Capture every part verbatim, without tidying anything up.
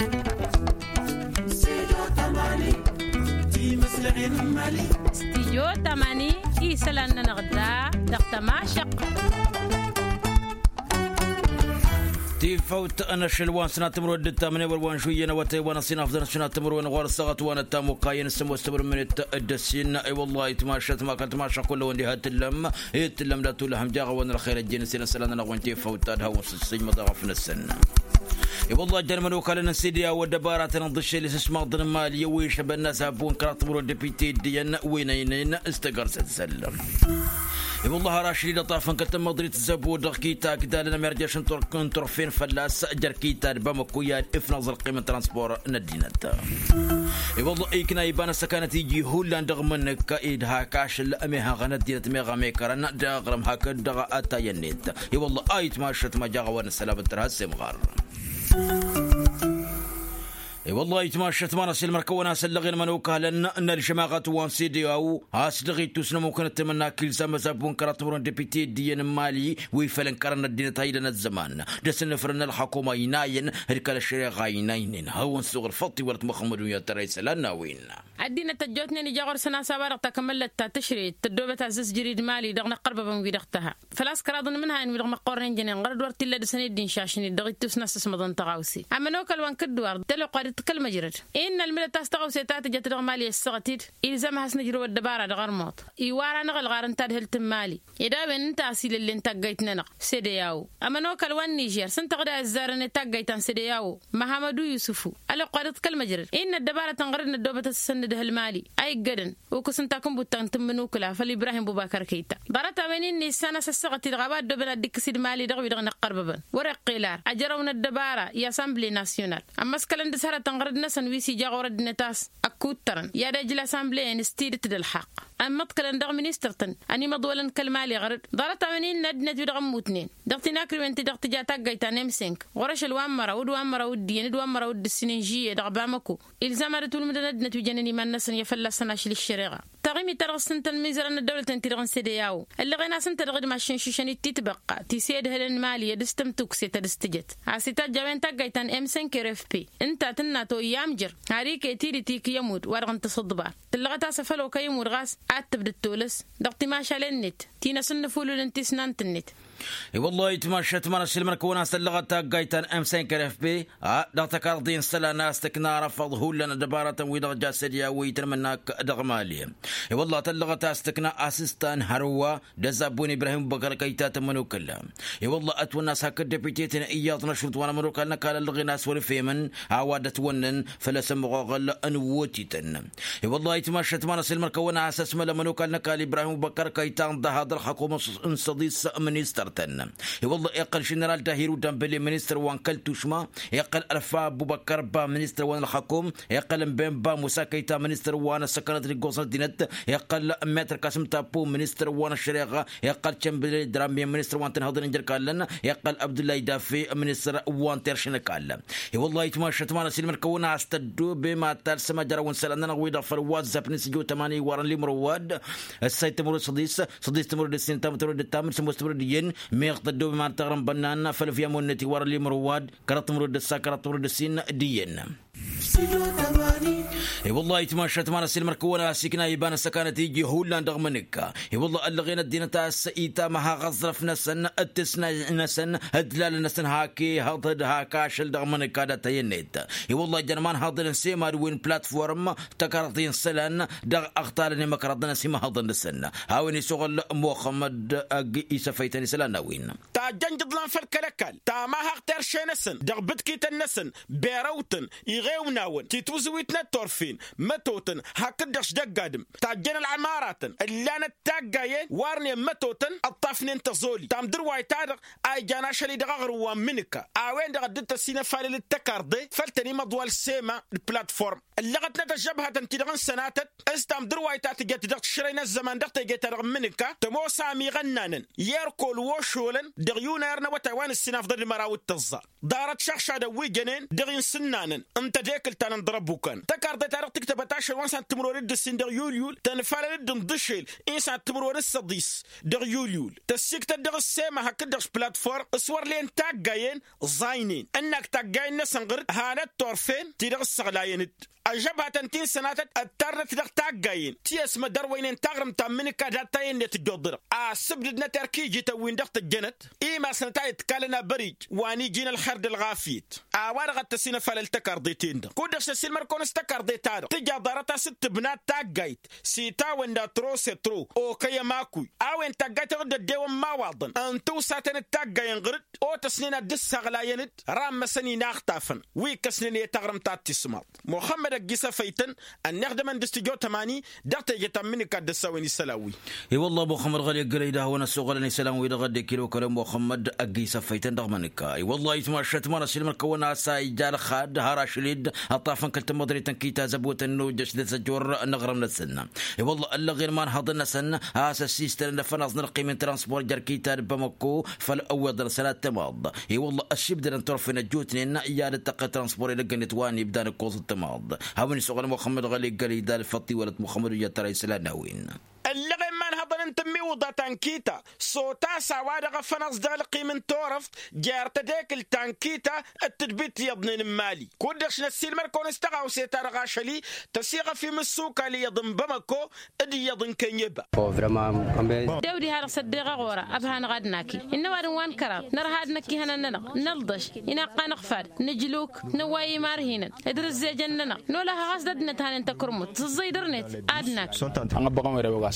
Stijyo tamani isălan-nănăɣ da dăɣ-tămašăɣt. Tifăwt n-ašăl wa n-sănat timǝrwen d-ǝttamǝne wăr wa n-žuyyăn awătay wa n-ăsinafḍăn sănat timǝrwen ɣur-săɣăt wa n-ăttamukayăn s-ămoos timǝrwen d-ăssin. I-wăllah itmašăt ma kăl-tmašăɣ kull-wăn diha t-tǝllăm. Itǝllăm dat-ullăhăm jaɣ-awăn ălxer ăjjeen s-inăsălan-nănăɣ wen tifăwt ad-hawăn s-ǝssǝjmăḍ aɣăf-năsăn. I-wăllah ăjjăn imănokalăn n-sidi a-wa dd-ăbaratăn ǝḍǝššel isǝsmaḍăn n-imali wi išăbănna s-abbu n-kăraḍ timǝrwen d-epite d-iyyăn wi n-ăynăyăn s-tăgărsăt săllăm. I-wăllah har ašli d-ăṭṭafăn kăl-tămmăḍrit zăbu dăɣ-kita akdalăn ămerjăš n-turfen fălla-s jer-kita d-bamăku i-ad-ifnăẓ ălqim n-transpor n-ăddinăt. I-wăllah ikna iba n-ăssăkanăt iji hullan dăɣ-imǝnǝk idha kašăl ămihăɣăn ăddinăt meɣ amekărăn d-aɣrǝm hakd dăɣ-atay-net. I-wăllah a itmašăt ma jaɣ-a-wa n-ăssălam d-tărha s-imɣar. I-wăllah itmašăt ma n-ăsilmăr-kăwăn a-s ăllăɣen mănokalăn n-ălžămaɣăt wa n-sede a-wa a-s dăɣ-ittus n-ămmukăn ăttămănnak ilzam ăzabbu n-kăraḍ timǝrwen d-epite d-iyyăn n-imali wi făl ǝnkărăn ăddinăt a idăn ăzzăman d-asǝnnǝfrăn n-ălxakuma inayăn d-kăl-ăššăreɣa inaynen hawăn-suɣ ălfăṭṭ iwălăt muxămmăd wi ad-tăra isălan n-a-wen. Ăddinăt ăjjootnen ija ɣur-săn a-s a-wa dăɣ-takămăllăt ta tǝšreyăt tăddoobăt azzǝzjăr i-d-imali dăɣ-inăqqărbăbăn-wi-dăɣ tăha făl-a-s kăraḍ n-imǝnhayăn wi-dăɣ măqqornen jănen ɣărăd wăr t-illa dăr-săn i-dd-inšašnen dăɣ-ittus n-assăsmăḍăn tăɣawse. Ămănokal wa n-kǝddǝwar d-ăloqqa dd-kăl-măjrăd innă ălmǝdăt a-s tăɣawse ta tǝjăt dăɣ-imali ăssaɣăt-dd ilzam ad-has-nǝjrăw ăddăbara dăɣ-armuḍ iwar-anăɣ ălɣar n-tadhǝlt n-imali. Ed a-wen ǝnta a-s ila ǝllen taggayt-nănăɣ sede a-wo ămănokal wa n-nižer s-ǝnta ɣǝd a ăzzarăn i-taggayt ta n-sede a-wo. Măhamădu yusǝfu ăloqqa dd-kăl-măjrăd innă ăddăbarăt n-ɣărăd n-ăddoobătăt s-săn nǝdhǝl imali a iggădăn okǝs n-takǝnbut ta n-tǝmmǝnukǝla făll-ibrahim bubakar kăyta. Ḍarăt-a-wen innă issan a-s ăssaɣăt-i-dăɣ a-wa ăddooben ad-dd-ikkǝs d-imali dăɣ-wi-dăɣ n-iqqărbăbăn wăr-iqqel ar ăjrăw n-ăddăbara i-assemble nasyonal. Ămmăskălăn d-s hărătăn ɣărăd-năsăn wi s-ija ɣur-ăddinăt a-s ăkkuttărăn i-ad-ejl assemble-en s-tidǝt d-ălxaqq. Ămmăḍkălăn dăɣ-ministăr-tăn ănimăḍwălăn kăl-imali ɣărăd. Ḍarăt-a-wen innă ăddinăt wi-dăɣ ămmutnen dăɣ-tinakriwen ti-dăɣ tǝja taggayt ta n-emsenk ɣur-ašăl wa n-măraw d-wa n-măraw d-iyyăn d-wa n-măraw d-ǝssin n-žiyye dăɣ-bamăko. Ilzam ad-ătwǝlmǝdăn ăddinăt wi jănen iman-năsăn i-fălla-săn ašli ăššăreɣa. Taɣimit-ta-dăɣ s-ǝntăn imizărăn n-ăddăwlăten-ti-dăɣ n-sede a-wo ăllăɣen-as ǝnta dăɣ-idmašăn šušăn-dd titbăqqa ti s-e-ădhǝlăn imali i-ad-s tǝmtukse ta dăr-s tǝjăt. A-s itajj a-wen taggayt ta n-emsenk rfp ǝnta tǝnna toyya amjăr. Har iket-dd tikǝy ămudd wa dăɣ-n tǝsǝḍbar tǝllăɣăt a-s afăl okăy ămudd ɣas ad-tǝbdăd tolăs dăɣ-timašalen-net ti n-asǝnnǝfulul n-tisnant-net. I-wăllah itmašăt ma n-ăsilmăr-kăwăn a-s tăllăɣăt taggayt ta n-emsenk rfp a dăɣ-tăkarḍi n-isălan a-s tǝkna arăfăḍ hullan ăddăbarătăn-wi-dăɣ ja sădya wi tăn-imǝnnak dăɣ-imali. I-wăllah tăllăɣăt a-s tǝkna asǝstan hărwa d-ăzabbu n-ibrahim bubăkăr kăyta tămănokălla. I-wăllah ătwănna a-s hakd depite-ten iyyăḍ n-ašrut wa n-ămănokal n-ăkall ăllăɣen a-s wăr-ifemăn a-wa dd-ătwănnăn făll-asămmuɣăɣăl n-wotităn. I-wăllah itmašăt ma n-ăsilmăr-kăwăn a-s ăsmăl ămănokal n-ăkall ibrahim bubăkăr kăyta ǝnḍăha d-ălxakum n-săḍis ministăr-tăn. I-wăllah iqqăl ženeral dahiru dambele ministăr wa n-kăl-tušma, iqqăl ălfa bubăkăr ba ministăr wa n-ălxakum, iqqăl n-ben ba musa kăyta ministăr wa n-ăssăkănăt d-iggoẓ n-ăddinăt, iqqăl metăr kasǝm tapu ministăr wa n-ăššăreɣa, iqqăl cembele dramye ministăr wa n-tǝnhăḍăn n-jăr-kallăn, iqqăl abdullahi dafe ministăr wa n-terš n-ăkall. I-wăllah itmašăt ma n-ăsilmăr-kăwăn a-s tăddoobem ad-talsăm ajăraw n-isălan-nănăɣ-wi-dăɣ făll-whatsapp n-isǝjjo tămani iwarăn limrăwad. Ăssay tămăro d-săḍis săḍis tămăro d-ǝssin tămăro d-ǝttam d-sămoos tămăro d-iyyăn. Meɣ tăddoobem ad-taɣrǝm bănnan făll-viyamon-net iwarăn limrăwad kăraḍ tămăro d-ǝssa kăraḍ tămăro d-ǝssin d-iyyăn. I-wăllah itmašăt ma n-ăsilmăr-kăwăn a-s ikna iba n-ăssăkanăt iji hullan dăɣ-imǝnǝkka. I-wăllah ăllăɣen ăddinăt a-s itamăha aẓrăf-năsăn d-tǝsna-năsăn d-lalăn-năsăn hak ihăḍ d-hak ašăl dăɣ-imǝnǝkka d-atăy-net. I-wăllah ijăn imanhăḍăn n-semad wi n-platform tăkarḍi n-isălan dăɣ-aɣtalăn i-imăkrăḍăn s-imăhăḍăn-năsăn. A-wen isuɣǝl muxămmăd ăgg-isăfăytăn isălan n-a-wen. Tajjăn jǝḍlan făll-kăl-ăkall tamahăɣt erše-năsăn dăɣ-bǝtkităn-năsăn berăwtăn iɣewnawăn titwǝzǝwit n-ăttorfen mătotăn hakd-dăɣ s-dăgg-adǝm. Tajjăn ălɣămaratăn ǝllanăt taggayen warnen mătotăn ǝṭṭafnen tăẓoli tamdǝrwayt-ta-dăɣ a ijan ašăl-i dăɣ-aɣrǝm wa n-imǝnǝka. A-wen-dăɣ a dd-tăsinăfalăl d-tăkarḍe făll-tăn imăḍwal sema d-platform ǝllăɣătnăt ăžžăbhătăn-ti-dăɣ n-sănatăt s-tamdǝrwayt ta tǝjăt dăɣ-tišrăy n-ăzzăman dăɣ-teje-ta-dăɣ n-imǝnǝka tămoos amiɣănnanen i-erk ălwošolăn dăɣ-yunăyăr n-awătay wa n-ǝssinafḍăn d-măraw d-tǝẓẓa. Ḍarăt šăɣšadăn wi jănen dăɣ-i n-sǝnnanăn n-tedekǝlt ǝttalăn ḍărăbukan tăkarḍe-ta-dăɣ tǝktăbăt ašăl wa n-san timǝrwen d-ǝssin dăɣ-yulyul tănfalăl-dd n-dăšel. I n-san timǝrwen d-săḍis dăɣ-yulyul tăssiktăt dăɣ-ǝssema hakd-dăɣ platform s-wăr len taggayen ẓaynen ǝnnak taggayen-năsăn ɣǝr-dd hanăt-turfen ti-dăɣ ǝssăɣlayăn-dd. Ăžžăbhatăn ti n-sănatăt ăttarnăt dăɣ-taggayen ti ăsmădărwăynen taɣrǝmt ta n-imǝnǝka dat-tayǝnnet dd-oḍărăɣ a ǝssǝbdǝdnăt erk ijităn-win-dăɣ tăjjănăt. Imasnăt a iḍkalăn abăric wa n-iji n-ălxer d-ălɣafyăt a-wa-dăɣ a t-ăsinăfalăl tăkarḍeten-dăɣ kud-dăɣ s-ăsilmăr-kăwăn s-tăkarḍe-ta-dăɣ tǝja ḍarăt-as d-tǝbna taggayt s-itawănna trosetro okăy ămakuy a-wen taggayt-dăɣ dd-ăddewăn imawaḍăn n-tiwsaten d-taggayen ɣǝr-dd otăsnen ad-dd-ǝssaɣlayăn-dd rammăsăn inaxtafăn wi ǝkkăsnen i-taɣrǝmt ta t-tismaḍt. Muxămmăd ăgg-isăfăytăn ănneɣ dămăn d-s tǝjot ămani dăɣ-teje ta n-imǝnǝka dd-ăssawăn isălan-wi. I-wălla muxămmăd ɣăli ăggălăy d-ad-hawăn-ăssoɣălăn isălan-wi-dăɣ ăddekilo kălăn muxămmăd ăgg-isăfăytăn dăɣ-imǝnǝka i-wălla itmašăt ma n-ăsilmăr-kăwăn a-s a ija ălxad har ašăl-dd ăṭṭafăn kăl-tamăḍrit n-kita zăbotăn n-ojjăš d-asăjor n-aɣrǝm-năsăn. I-wălla ăllăɣen imanhăḍăn-năsăn a-s ăssistănăn afănaẓ n-ălqim n-transport jer-kita d-bamăkko făll-ăwweḍăn sănat tamaḍ. I-wălla ăššibdădăn turfen ăjjootnen i-ad-dd-tăqqăl transport edăgg-net wa n-ibdan ǝkkoẓ d-tamaḍ. Hawăn-isoɣăl muxămmăd ɣăli ǝggălăy d-alfăṭṭiwălăt muxămmăd ujjăt tăra isălan n-a-wen. Ăllăɣen imanhăḍăn n-tǝmmiwǝḍa ta n-kita s-otas a-wa-dăɣ afănaẓ dăɣ-ălqim n-turăft jer-tedekǝlt ta n-kita d-tǝdbit iyyăḍnen n-imali kud-dăɣ š-năssiilmăr-kăwăn s-tăɣawse-ta-dăɣ ašăl-i tăsiɣăf imǝssukal iyyăḍ n-bamăkko d-iyyăḍ n-kănyăba. Dewd iha dăɣ-s ăddeɣ aɣora ăbha-năɣ ad-naki innă ăwadǝm wa n-kăraḍ nărha ad-năkk ihănan-nănăɣ nălḍăš inaqqan ăɣfad nǝjluk năwway imarhinăn d-rǝzzejăn-nănăɣ nolăh ɣas d-ăddinăt hanen takărmut tǝẓẓăy dăr-net. Ad-naki.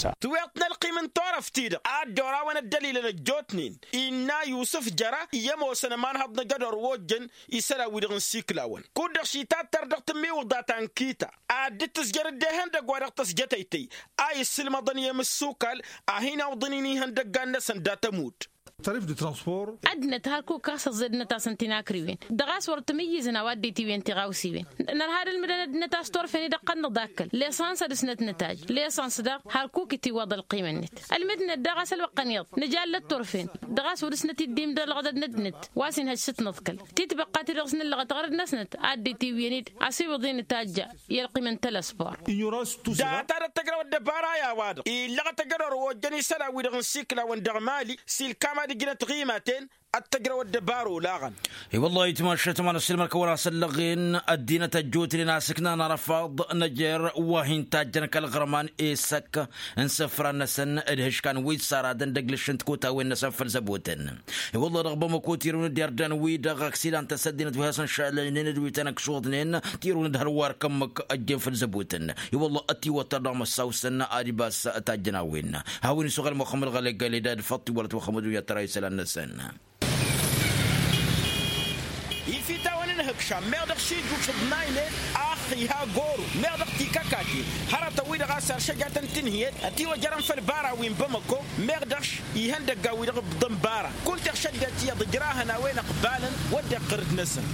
Tǝweḍt n-ălqim n-turăft-ti-dăɣ ad-dd-orawăn ăddălilăn ăjjootnen innă yusǝf jăra i-ămoosăn ămanhăḍ n-ajădor wa ojjăn isălan-wi-dăɣ n-siklawăn kud-dăɣ šitattăr dăɣ-tǝmmiwǝḍa ta n-kita ad-dd-tǝzjăr dd-ehăndăgg wa dăɣ-tăsjăt ăytăy a issǝlmăḍăn i-emǝssukal a hin-awḍăn-in ihăndăggan-năsăn dat-ămudd. Ăddinăt hărkuk a-s ăẓẓe ăddinăt a-s ǝnta inakrǝwen dăɣ-a-s wăr tǝmǝyyǝzăn a-wa dd-itiwǝyăn tiɣawsiwen. Nărha ad-ǝlmǝdăn ăddinăt a-s turfen-i-dăɣ qănnăḍ akkăl lesăns ad-dăɣ-s nătnătaj lesăns daɣ hărkuk itiwwăḍ ălqimăn-net. Ălmǝdnăt daɣ a-s ălwăqqăn iyyăḍ nǝjallăt turfen dăɣ-a-s wăr dăɣ-s nătiddimdălăɣ d-ăddinăt wa s-inhăj s-ǝtnăḍkăl titbăqqa-ti-dăɣ s-nǝllăɣăt ɣur-dd-năsnăt a dd-itiwǝyăn-dd ăsiwǝḍ-i nǝtajja i-ălqim n-telăsbor. Data d-ăttăjrăw ăddăbara i-a-wa-dăɣ illăɣăt ajădor wa ojjăn isălan-wi-dăɣ n-siklawăn dăɣ-mali s-ilkam ad-ǝjnăt ɣimaten ăttăjrăw ăddăbara olaɣăn. I-wăllah itmašăt ma n-ăssilmăr-kăwăn a-s ăllăɣen ăddinăt ăjjootnen a-s ǝknan arăfaḍ n-ejăr wa hin-tajjăn kăl-iɣrăman i-săk n-isǝfran-năsăn d-ihǝškan wi s-aradăn d-ăglǝš n-tikotawen-năsăn făll-zăbotăn. I-wăllah dăɣ-bamăko tirǝwăn-dd irdan-wi-dăɣ ăksidan-tăs ăddinăt wi hasăn-šalăynen d-wi tăn-ǝkšuḍnen tirǝwăn-dd hărwa ărkămmăk ăjjeen făll-zăbotăn. I-wăllah ătiwăttăr dăɣ-măssawsăn ad-ibas tajjăn a-wen. Hawăn-isuɣăl muxămmăd ɣălăgg ălidad făṭṭ iwălăt muxămmăd wi ăttăra isălan-năsăn. Ifitawăn n-ihǝkšam meɣ dăɣ-šijjuš ǝḍnaynen ax iha goru meɣ dăɣ-tikăkaten hărătăn-wi-dăɣ a-s ăršăjatăn tinhǝyăt ătiwăjărăn făll-bara wi n-bamăko meɣ dăɣ-š ihăndăggan-wi-dăɣ ǝbḍăn bara. Kul-teɣ šăddinăt iyyăḍ ǝjrahăn a-wen ăqbalăn wădden iqqăr-dd-năsăn.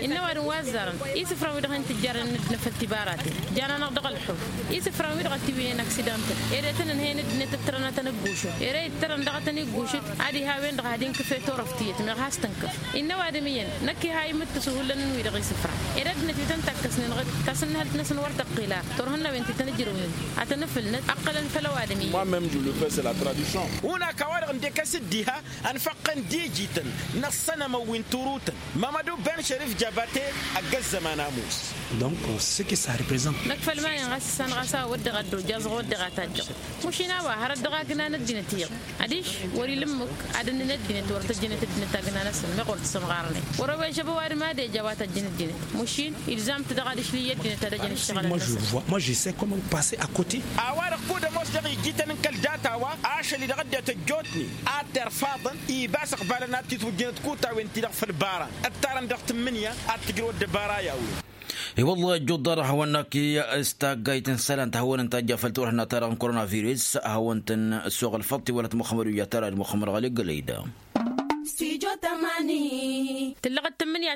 Innă ăwadǝm wa ăzzarăn isǝfran-wi-dăɣ hin-tǝjjarăn n-ăddinăt făll-tibaraten jan-anăɣ dăɣ-ălḥuf isǝfran-wi-dăɣ ătiwǝynen aksidan-tăn ere tăn-ǝnhăyăn ăddinăt ǝttărăn ad-tăn-ǝggušǝt ere ittărăn daɣ ad-tăn-iggušǝt ad-iha a-wen-dăɣ ad-inkǝf i-turăft tiyyăt meɣ has-tǝnkǝf. Innă ăwadǝm iyyăn năkk iha imǝttǝsu hullan n-wi-dăɣ isǝfran ed ăddinăt wi tăn-takkăsnen ɣǝd tasǝnnǝhălt-năsăn wăr tăqqil a turhǝnnawen ti tăn-ǝjrǝwnen ad-tăn-ǝfǝlnăt ăqqălăn făll-ăwadǝm iyyăn. Hunak a-wa-dăɣ ǝndek a-s dd-iha ănfăqqăn d-ijităn n-ăṣṣănămăn wi n-turutăn mămădu ben šărif jabate. Ăgg ăzzăman ămoos. Donc ce qui ça représente. Năkk făll-iman-in ɣas issan ɣas a-wa wădden ad-dd-ojjaẓăɣ wădden ad-tajjăɣ. Mušin a-wa hărăt dăɣ-agna n-ăddinăt iyyăḍ adiš wăr-ila ǝmmǝk ad-ǝnnǝn ăddinăt wăr tăjjănet ăddinăt agna-năsăn meɣ wăr t-sǝmɣarnen wăr-ăwwežăb ăwadǝm ad-ija a-wa tăjjăn ăddinăt. Mušin ilzam-t dăɣ-adiš l-iyyă ăddinăt ad-ăjăn ǝššăɣǝlăn-năsăn. Moi je sais comment passer à côté. A-wa-dăɣ kud-ămoos dăɣ-ijjităn n-kăl-data-wa ašăl-i-dăɣ ăddinăt ăjjootnen ad-t-irfaḍăn ibas ăqbalăn ad-t-itwǝjjǝnăt kutawent-ti-dăɣ făll-bara ǝttarăn dăɣ-tǝmmǝnǝya ad-tǝjrǝw ăddăbara i-a-wen. I-wăllah ăjjuḍ-dăɣ hawăn-naki s-taggayt n-isălan ta hawăn-tăjja făll-turhǝnna-ta-dăɣ n-koronavirus hawăn-tăn-ăssoɣăl făll-tiwălăt muxămmăd wi ăttăra d-muxămmăd ɣăli gălăy-da. Stujo tămani. Tǝllăɣăt tǝmmǝnǝya.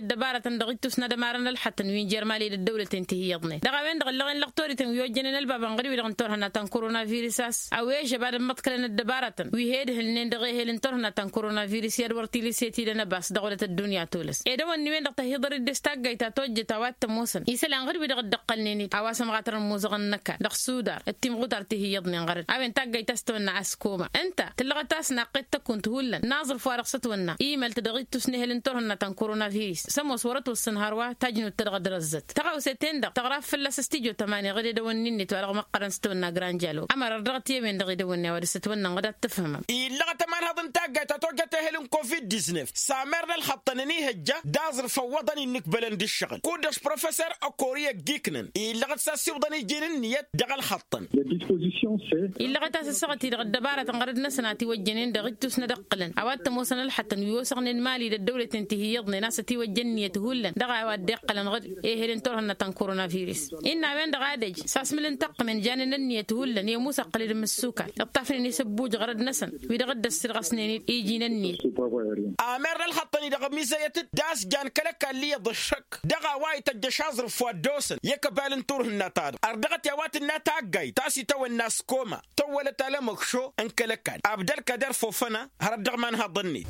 Ăddăbarătăn dăɣ-ittus n-ad-ămarăn ălxăṭṭăn wi n-jer-mali d-ăddăwlăten ti hi-iyyăḍnen dăɣ-a-wen-dăɣ ǝllăɣen lăɣ torităn wi ojjănen ălbabăn ɣăr-wi-dăɣ n-turhǝnna ta n-korona virus a-s a-wen žăbadăn măḍkălăn ăddăbarătăn wi he-ǝdhǝlnen dăɣ-ehel n-turhǝnna ta n-korona virus i-ad-wăr tiliset-i d-anăbas dăɣ-wălăt ăddunya tolăs ed ăwănni-wen-dăɣ tăhiḍăr-dd s-taggayt ta tojjăt a-wa t-ămoosăn isălan ɣăr-wi-dăɣ dd-ǝqqălnen-dd a-wa s-ămɣatăr n-imuzăɣăn n-ăkall dăɣ-sudar d-timɣutart ti hi-iyyăḍnen ɣărăd a-wen taggayt ta s-tăwănna askoma ǝnta tǝllăɣăt a-s naqqet tăkunt hullan n-aẓrǝf wa dăɣ-s ătwănna imăl-t dăɣ-ittus n-ehel n-turhǝnna ta n-korona virus s-ămoos wăr-ătwăssăn hărwa tajnut-ta dăɣ-dd-răzzăt tăɣawse-ten-dăɣ tăɣraf fălla-s s-tijot ămani ɣǝd edăwănni-net wa dăɣ-măqqărăn s-tăwănna granjalo ămăra ărdăɣăt i-a-wen-dăɣ edăwănni a-wa dăɣ-s ătwănna ănɣăd ad-tǝfhǝmăm. Illăɣăt ămanhăḍ n-taggayt ta tojjăt ehel n-covid-diznef s-amer n-ălxăṭṭăn ănihăjja d-aẓrǝf ăwwăḍăn innǝkbălăn d-ǝššăɣǝl kud-dăɣ professor ăkori ăgg-iknăn illăɣăt s-assiwǝḍăn iji n-ǝnniyăt dăɣ-ălxăṭṭăn. Illăɣăt a-s ăssaɣăt-i-dăɣ ăddăbarătăn ɣărăd-năsăn a tiwăjjănen dăɣ-ittus n-ad-ǝqqǝlăn a-wa t-ămoosăn ălxăṭṭăn wi osăɣnen mali d-ăddăwlăten ti hi-iyyăḍnen a-s ătiwăjja ǝnniyăt hullan dăɣ-a-wa dd-iqqălăn ɣǝd ehel n-turhǝnna ta n-korona virus. Innă a-wen-dăɣ ad-ăj s-asmǝl n-taqqǝmen janen ănniyăt hullan i-ămusa ăqqăl-dd mǝssukal iṭṭafnen isăbbuj ɣărăd-năsăn wi-dăɣ dd-ăssirɣăsnen-dd iji n-ănniyăt. Amer n-ălxăṭṭăn-i-dăɣ ămizăyăt-dd a-s jan kăl-ăkall iyyăḍ ăššăk dăɣ-a-wa ităjjăš aẓrǝf wa dd-osăn i-ăkbal n-turhǝnna-ta-dăɣ ărdăɣăt i-a-wa tǝnna taggayt ta s-itawănna s-koma tăwwălăt alămăkšo n-kăl-ăkall abd-ălkader fofăna hărăt dăɣ-imanhăḍăn-net.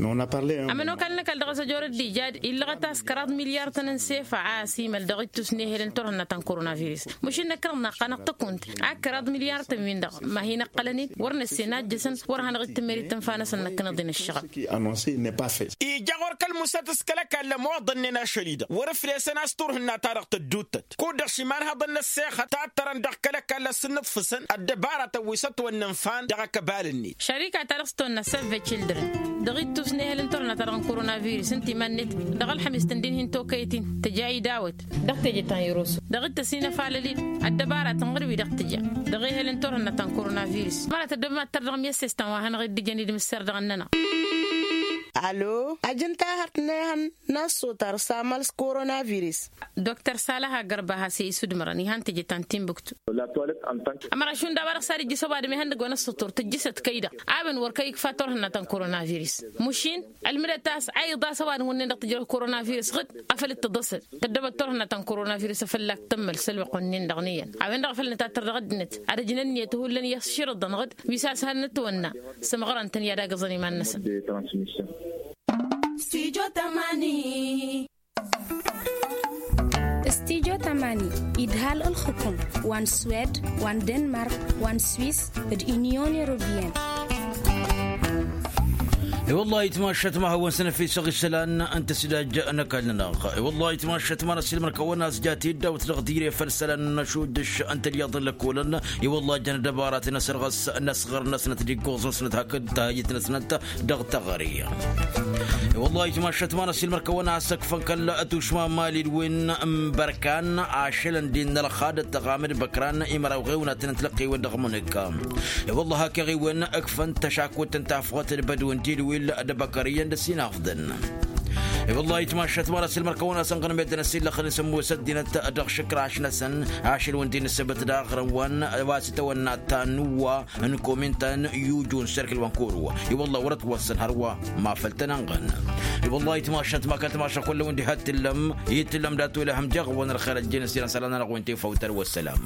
Ămănokal n-ăkall dăɣ-s ăjorăt d-ija d-illăɣăt a-s kăraḍ milyar-tăn n-sefa a ăsimăl dăɣ-ittus n-ehel n-turhǝnna ta n-korona virus. Măšin năkk-dăɣ naqqanăɣ tăkunt a kăraḍ milyar-tăn-win-dăɣ ma hin-ăqqălăn-dd wăr năssen a ǝjjăsăn wăr hanăɣ-dd tǝmmer i-tǝnfa-năsăn năkkăneḍ-in ăššăɣăb. Ija ɣur-kăl-musăt s-kăl-ăkall ămoḍănnen ašăl-i-dăɣ wăr-ǝflesăn a-s turhǝnna-ta-dăɣ tădduuttăt kud-dăɣ šimanhăḍăn n-ăssexăt tattărăn dăɣ-kăl-ăkall a-s ǝnnǝḍfǝsăn ăddăbaratăn wi s-ătwănnănfan dăɣ-ăkbal-net. Šărika-ta-dăɣ s-tăwănna save children dăɣ-ittus n-ehăl n-turhǝnna-ta-dăɣ n-korona virus ǝnta iman-net dăɣ-ălxămis tǝndin hin-tokăyăt-in tǝja idawăt dăɣ-teje ta n-iroso dăɣ-dd-tăsinăfalăl-dd ăddăbaratăn ɣur-wi-dăɣ tǝja dăɣ-ehăl n-turhǝnna ta n-korona virus. Măra tăddobem ad-tărdăɣ mi-ăssestan wa hanăɣ-dd-ǝjăn idmǝsser dăɣ-ănnănăɣ. Alo ajăn tahărt n-ehăn n-ăṣṣotar s-amal s-korona virus. Doktor salaha gărba has-e isudmărăn ihan teje ta n-timbuktu. Ămăra šund a-wa dăɣ-s ad-ijjǝs ăwadǝm ihăndăg wa n-ăṣṣotor tǝjjǝsăt kăy-dăɣ a-wen wăr kăy-ikfa turhǝnna ta n-korona virus. Măšin ălmǝdăt a-s a iḍas ăwadǝm wǝnnin-dăɣ tǝjrăw korona virus ɣǝd afăl dd-tǝḍăsăd tăddăbăt turhǝnna ta n-korona virus a făl-ak tămmăl s-ălwăqq-wǝnnin-dăɣ n-iyyăn a-wen-dăɣ a făl nǝtattăr dăɣ-ăddinăt ad-ăjǝn ǝnniyăt hullan i-ăšširǝḍăn ɣǝd wi s-a-s hal nǝtwănna. Sǝmɣărăn-tăn i-ad-agǝẓăn iman-năsăn. Stujo tamani. Stujo tamani idhal ǝlxǝkum wa n-swed wa n-denmark wa n-swis d-unyon europeyăn. I-wăllah itmašat ma hawăn-săn efisăɣ isălan n-tăsidaj n-ăkall-nănăɣ. I-wăllah itmašat ma n-ăsilmăr kăwăn-asjat iddawt dăɣ-tire făll-isălan n-ašudǝš n-tălyaḍ n-lăkolăn. I-wăllah jăn ăddăbarat n-asărɣăs n-asɣăr-năsnăt d-iggoẓ-năsnăt hakd tahǝjjǝt-năsnăt dăɣ-teɣăre. I-wăllah itmašat ma n-ăsilmăr kăwăn-asăkfăn kăl-tušma n-mali d-win n-bărkan ašălăn din n-ălxadăt tăɣamăd băkran imăraw ɣewnatăn n-tilăqqewen dăɣ-mănǝkka. I-wăllah hak iɣiwen ǝkfăn tăšakut n-tafɣăt d-bădun dilwil d-băkăr iyyăn d-ăsinafḍăn. I-wăllah itmašat ma n-ăsilmăr kăwăn-asănɣăn meddǝn ăsillăxăn isǝmmos ăddinăt dăɣ-išǝkraš-năsăn ašăl wǝndin ǝssǝbăt d-aɣrǝwăn wa s-itawănna ta n-uwa n-komin ta n-yuju n-serkǝl wa n-koro. I-wăllah wăr-ătwăssăn hărwa ma făl tăn-ănɣăn. I-wăllah itmašat ma kăl-timaša kull-ăwǝn diha t-tǝllăm i-tǝllăm dat-wăla hăm deɣ-wăn ălxer ăjjeen ăssinăn isălan-nănăɣ wen tefăw tărwa ăssălam.